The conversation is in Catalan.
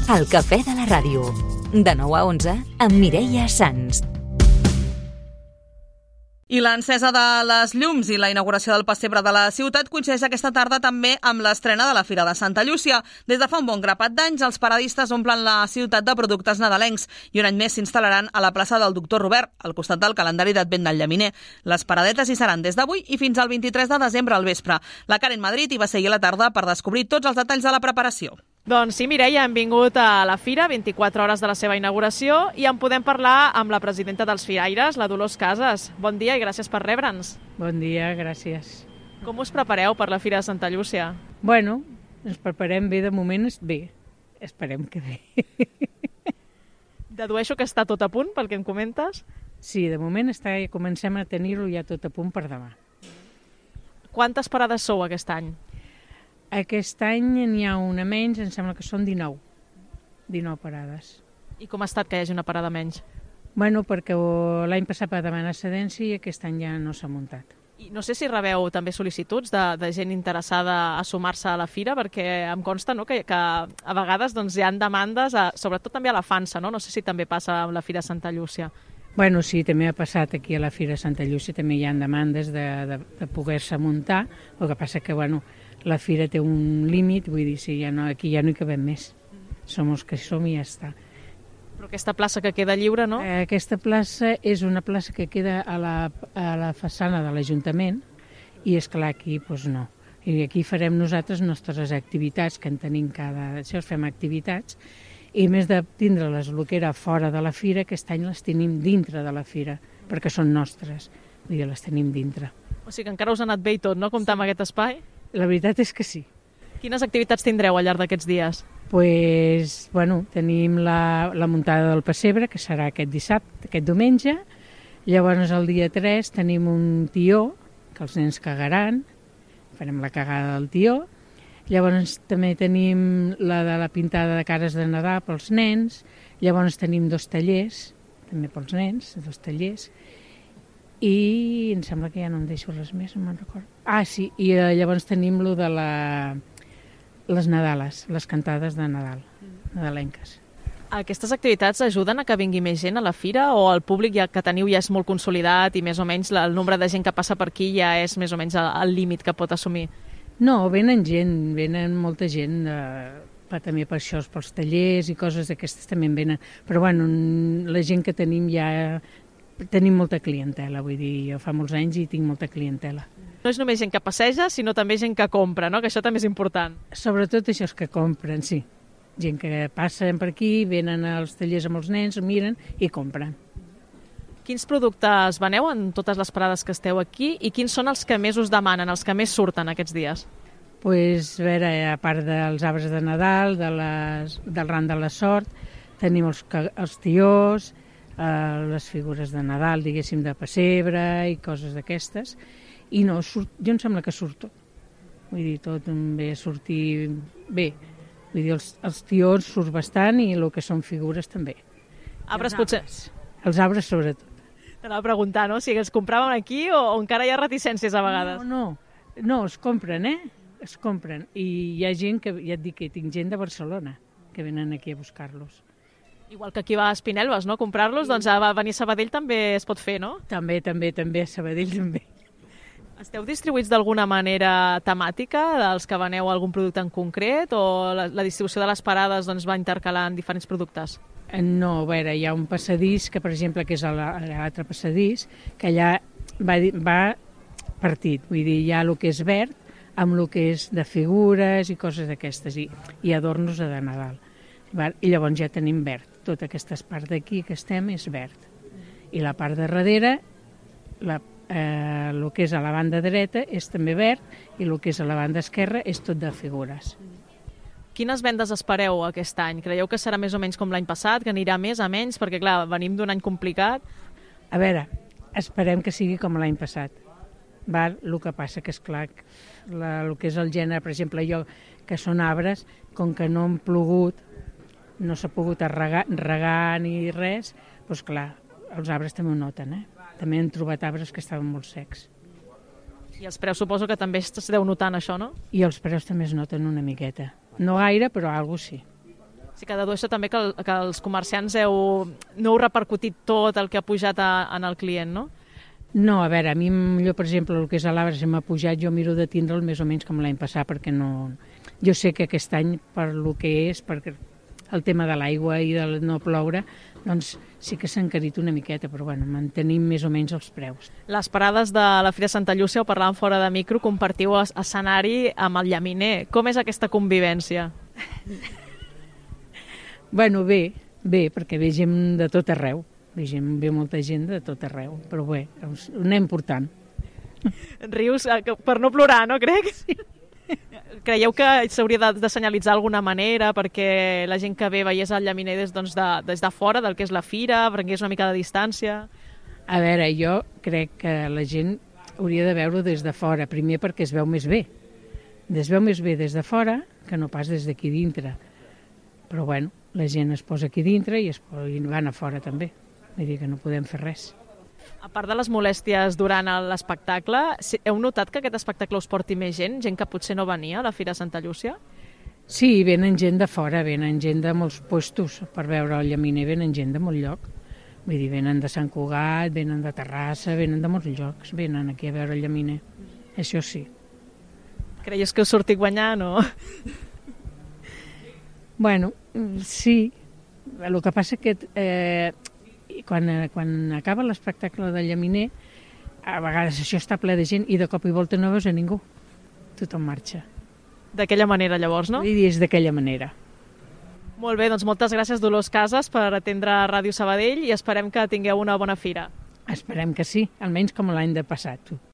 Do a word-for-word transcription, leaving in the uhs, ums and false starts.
El cafè de la ràdio. De nou a onze, amb Mireia Sans. I l'encesa de les llums i la inauguració del pessebre de la ciutat coincideix aquesta tarda també amb l'estrena de la Fira de Santa Llúcia. Des de fa un bon grapat d'anys, els paradistes omplen la ciutat de productes nadalencs i un any més s'instal·laran a la plaça del Doctor Robert, al costat del calendari d'Advent del Llaminer. Les paradetes hi seran des d'avui i fins al vint-i-tres de desembre al vespre. La Karen Madrid hi va seguir a la tarda per descobrir tots els detalls de la preparació. Doncs sí, Mireia, hem vingut a la Fira, vint-i-quatre hores de la seva inauguració, i en podem parlar amb la presidenta dels Firaires, la Dolors Casas. Bon dia i gràcies per rebre'ns. Bon dia, gràcies. Com us prepareu per la Fira de Santa Llúcia? Bueno, ens preparem bé, de moment bé. Esperem que bé. Dedueixo que està tot a punt, pel que em comentes? Sí, de moment està, comencem a tenir-ho ja tot a punt per demà. Quantes parades sou aquest any? Aquest any n'hi ha una menys, em sembla que són dinou. dinou parades. I com ha estat que hi hagi una parada menys? Bueno, perquè l'any passat va demanar cedència i aquest any ja no s'ha muntat. I no sé si rebeu també sol·licituds de, de gent interessada a sumar-se a la Fira, perquè em consta, no, que, que a vegades doncs, hi ha demandes, a, sobretot també a la Fansa, no? No sé si també passa amb la Fira de Santa Llúcia. Bueno, sí, també ha passat aquí a la Fira de Santa Llúcia, també hi ha demandes de, de, de poder-se muntar, el que passa que, bueno, la Fira té un límit, vull dir, sí, ja no, aquí ja no hi cabem més. Som els que som i ja està. Però aquesta plaça que queda lliure, no? Eh, aquesta plaça és una plaça que queda a la, a la façana de l'Ajuntament i, esclar, aquí doncs no. I aquí farem nosaltres nostres activitats, que en tenim cada... Això fem activitats, i més de tindre-les el que era fora de la Fira, aquest any les tenim dintre de la Fira, perquè són nostres, vull dir, les tenim dintre. O sigui que encara us ha anat bé i tot, no?, comptar amb aquest espai? La veritat és que sí. Quines activitats tindreu al llarg d'aquests dies? Pues, bueno, tenim la, la muntada del pessebre, que serà aquest dissabte, aquest diumenge. Llavors, el dia tres tenim un tió, que els nens cagaran, farem la cagada del tió. Llavors, també tenim la de la pintada de cares de Nadal pels nens. Llavors, tenim dos tallers, també pels nens, dos tallers. I em sembla que ja no em deixo res més, no me'n recordo. Ah, sí, i eh, llavors tenim lo de la... les Nadales, les cantades de Nadal, nadalenques. Aquestes activitats ajuden a que vingui més gent a la Fira o el públic ja que teniu ja és molt consolidat i més o menys el nombre de gent que passa per aquí ja és més o menys el límit que pot assumir? No, venen gent, venen molta gent, eh, també per això, pels tallers i coses d'aquestes també en venen. Però bueno, la gent que tenim ja... Tenim molta clientela, vull dir, jo fa molts anys i tinc molta clientela. No és només gent que passeja, sinó també gent que compra, no? Que això també és important. Sobretot això és que compren, sí. Gent que passen per aquí, venen als tallers amb els nens, miren i compren. Quins productes veneu en totes les parades que esteu aquí i quins són els que més us demanen, els que més surten aquests dies? Pues, a veure, a part dels arbres de Nadal, de les, del ram de la sort, tenim els, els tiós, Uh, les figures de Nadal, diguéssim, de pessebre i coses d'aquestes, i no, surt, jo em sembla que surt tot. Vull dir, tot ve a sortir bé. Vull dir, els, els tiors surt bastant i el que són figures també. Arbres els potser... Arbres, els arbres sobretot. T'anava a preguntar, no?, si els compraven aquí o, o encara hi ha reticències a vegades. No, no, no, es compren, eh? Es compren. I hi ha gent que, ja et dic que tinc gent de Barcelona que venen aquí a buscar-los. Igual que aquí va a Espinelves, no?, comprar-los, doncs a venir a Sabadell també es pot fer, no? També, també, també, a Sabadell també. Esteu distribuïts d'alguna manera temàtica, dels que veneu algun producte en concret, o la, la distribució de les parades doncs, va intercalant diferents productes? No, a veure, hi ha un passadís, que per exemple, que és l'altre passadís, que allà va, va partit, vull dir, hi ha el que és verd, amb el que és de figures i coses d'aquestes, i, i adornos de Nadal. I llavors ja tenim verd. Tota aquesta part d'aquí que estem és verd. I la part de darrere, la, eh, el que és a la banda dreta és també verd i el que és a la banda esquerra és tot de figures. Quines vendes espereu aquest any? Creieu que serà més o menys com l'any passat, que anirà més a menys? Perquè, clar, venim d'un any complicat. A veure, esperem que sigui com l'any passat. Val? El que passa que, és clar, la, el que és el gènere, per exemple, jo, que són arbres, com que no han plogut, no s'ha pogut regar, regar ni res, doncs clar, els arbres també ho noten, eh? També han trobat arbres que estaven molt secs. I els preus suposo que també es deu notant això, no? I els preus també es noten una miqueta. No gaire, però alguna cosa sí. Sí que dedueixo també que, el, que els comerciants heu, no heu repercutit tot el que ha pujat a, en el client, no? No, a veure, a mi millor, per exemple, el que és a l'arbre, si m'ha pujat, jo miro de tindre'l més o menys com l'any passat, perquè no... Jo sé que aquest any, per lo que és, perquè el tema de l'aigua i de no ploure, doncs sí que s'ha encarit una miqueta, però bueno, mantenim més o menys els preus. Les parades de la Fira Santa Llúcia, ho parlàvem fora de micro, compartiu escenari amb el llaminer. Com és aquesta convivència? Bueno, bé, bé, perquè ve gent de tot arreu. Ve, gent, ve molta gent de tot arreu, però bé, ho anem portant. Rius per no plorar, no, crec? Sí. Creieu que s'hauria de, de senyalitzar d'alguna manera perquè la gent que ve veiés el llaminer des, doncs, de, des de fora del que és la fira, prengués una mica de distància? A veure, jo crec que la gent hauria de veure des de fora, primer perquè es veu més bé. Es veu més bé des de fora que no pas des d'aquí dintre. Però bueno, la gent es posa aquí dintre i, es, i van a fora també. Vull dir que no podem fer res. A part de les molèsties durant l'espectacle, heu notat que aquest espectacle us porti més gent? Gent que potser no venia a la Fira Santa Llúcia? Sí, venen gent de fora, venen gent de molts puestos per veure el llaminer, venen gent de molt lloc. Vull dir, venen de Sant Cugat, venen de Terrassa, venen de molts llocs, venen aquí a veure el llaminer. Això sí. Creies que us surti guanyant o...? Bueno, sí. El que passa que eh, quan, quan acaba l'espectacle del llaminer, a vegades això està ple de gent i de cop i volta no veus a ningú. Tothom marxa. D'aquella manera, llavors, no? Vull dir, és d'aquella manera. Molt bé, doncs moltes gràcies, Dolors Casas, per atendre Ràdio Sabadell i esperem que tingueu una bona fira. Esperem que sí, almenys com l'any de passat.